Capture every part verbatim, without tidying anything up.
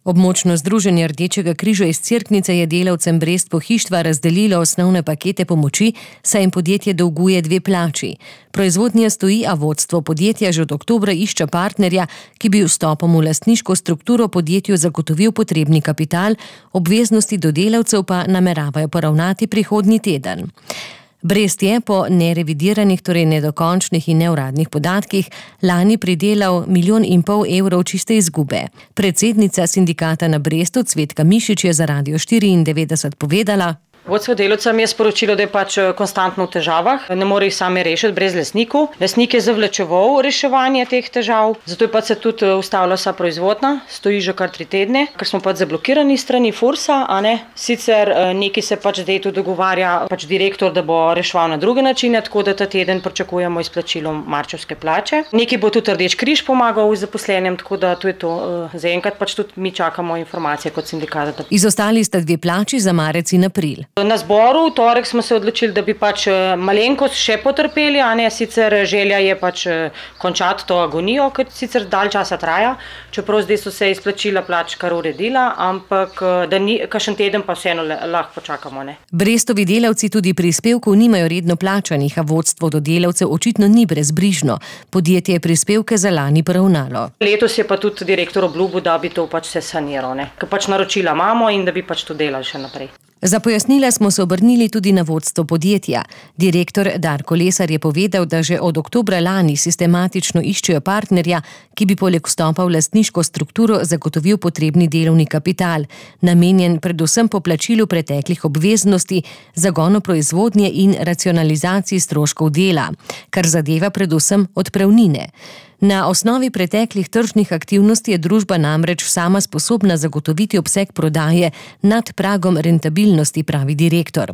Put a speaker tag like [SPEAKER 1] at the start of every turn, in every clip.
[SPEAKER 1] Območno združenje Rdečega križa iz Cerknice je delavcem Brest Pohištva razdelilo osnovne pakete pomoči, saj jim podjetje dolguje dve plači. Proizvodnja stoji, a vodstvo podjetja že od oktobra išče partnerja, ki bi vstopom v lastniško strukturo podjetju zagotovil potrebni kapital, obveznosti do delavcev pa nameravajo poravnati prihodnji teden. Brest je po nerevidiranih, torej nedokončnih in neuradnih podatkih lani pridelal milijon in pol evrov čiste izgube. Predsednica sindikata na Brestu Cvetka Mišič je za Radio štiriindevetdeset povedala:
[SPEAKER 2] Vodstvo delavcem je sporočilo, da je pač konstantno v težavah, ne more jih sami rešiti brez lastnikov. Lastnik je zavlačeval reševanje teh težav, zato je pač se tudi ustavila vsa proizvodnja, stoji že kar tri tedne, ker smo pač zablokirani strani Fursa, a ne. Sicer neki se pač zdaj tu dogovarja pač direktor, da bo reševal na druge načine, tako da ta teden pričakujemo izplačilo marčevske plače. Neki bo tudi Rdeč križ pomagal zaposlenim, tako da to je to. Zaenkrat pač tudi mi čakamo informacije kot sindikat.
[SPEAKER 1] Izostali sta dve plači za marec in april.
[SPEAKER 2] Na zboru v torek smo se odločili, da bi pač malenkost še potrpeli, a ne, sicer želja je pač končati to agonijo, ker sicer dalj časa traja, čeprav zdaj so se izplačila plač kar uredila, ampak da ni, kakšen teden pa vseeno lahko počakamo, ne.
[SPEAKER 1] Brestovi delavci tudi prispevkov nimajo redno plačanih, a vodstvo do delavcev očitno ni brezbrižno. Podjetje je prispevke za lani poravnalo.
[SPEAKER 2] Letos je pa tudi direktor obljubil, da bi to pač se saniral, ne, ker pač naročila imamo in da bi pač to delali še naprej.
[SPEAKER 1] Za pojasnila smo se obrnili tudi na vodstvo podjetja. Direktor Darko Lesar je povedal, da že od oktobra lani sistematično iščejo partnerja, ki bi poleg vstopa v lastniško strukturo zagotovil potrebni delovni kapital, namenjen predvsem poplačilu preteklih obveznosti, zagonu proizvodnje in racionalizaciji stroškov dela, kar zadeva predvsem odpravnine. Na osnovi preteklih tržnih aktivnosti je družba namreč sama sposobna zagotoviti obseg prodaje nad pragom rentabilnosti, pravi direktor.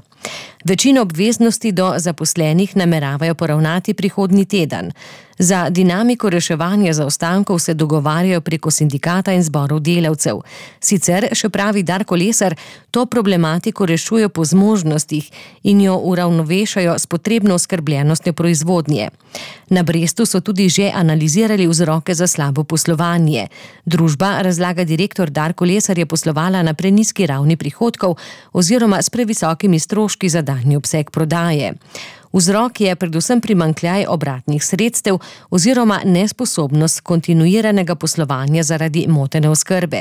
[SPEAKER 1] Večino obveznosti do zaposlenih nameravajo poravnati prihodnji teden. Za dinamiko reševanja zaostankov se dogovarjajo preko sindikata in zborov delavcev. Sicer, še pravi Darko Lesar, to problematiko rešujejo po zmožnostih in jo uravnovešajo s potrebno oskrbljenostjo proizvodnje. Na Brestu so tudi že analizirali vzroke za slabo poslovanje. Družba, razlaga direktor Darko Lesar, je poslovala na prenizki ravni prihodkov oziroma s previsokimi stroški za daljni obseg prodaje. Vzrok je predvsem primanjkljaj obratnih sredstev oziroma nesposobnost kontinuiranega poslovanja zaradi motene oskrbe.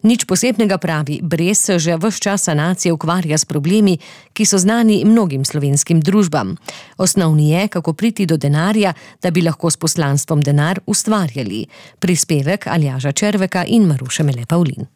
[SPEAKER 1] Nič posebnega, pravi, Brest se že ves čas sanacije ukvarja s problemi, ki so znani mnogim slovenskim družbam. Osnovni je, kako priti do denarja, da bi lahko s poslanstvom denar ustvarjali. Prispevek Aljaža Červeka in Maruše Mele Pavlin.